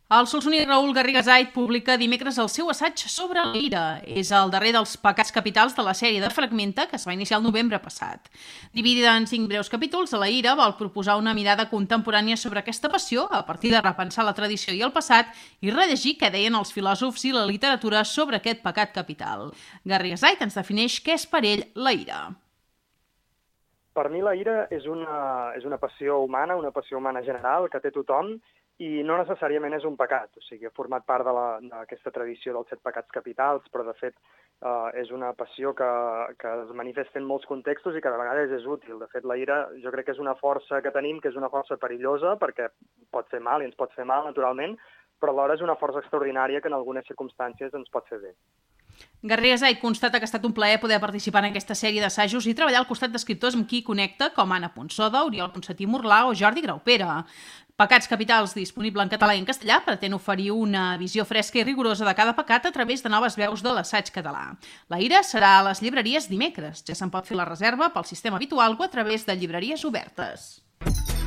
El solsoní Raül Garrigasait publica dimecres el seu assaig sobre la ira. És el darrer dels pecats capitals de la sèrie de Fragmenta, que es va iniciar el novembre passat. Dividida en 5 breus capítols, la ira vol proposar una mirada contemporània sobre aquesta passió a partir de repensar la tradició i el passat i rellegir què deien els filòsofs i la literatura sobre aquest pecat capital. Garrigasait ens defineix què és per ell la ira. Per mi la ira és una passió humana general que té tothom, i no necessàriament és un pecat, o sigui, ha format part d'aquesta tradició dels 7 pecats capitals, però de fet és una passió que es manifesta en molts contextos i que de vegades és útil. De fet, la ira jo crec que és una força que tenim, que és una força perillosa, perquè pot fer mal i ens pot fer mal, naturalment, però alhora és una força extraordinària que en algunes circumstàncies ens pot fer bé. Garrigasait constata que ha estat un plaer poder participar en aquesta sèrie d'assajos i treballar al costat d'escriptors amb qui connecta, com Anna Ponsoda, Oriol Ponsatí Morlà o Jordi Graupera. Pecats capitals, disponible en català i en castellà, pretén oferir una visió fresca i rigorosa de cada pecat a través de noves veus de l'assaig català. La ira serà a les llibreries dimecres. Ja se'n pot fer la reserva pel sistema habitual o a través de llibreries obertes.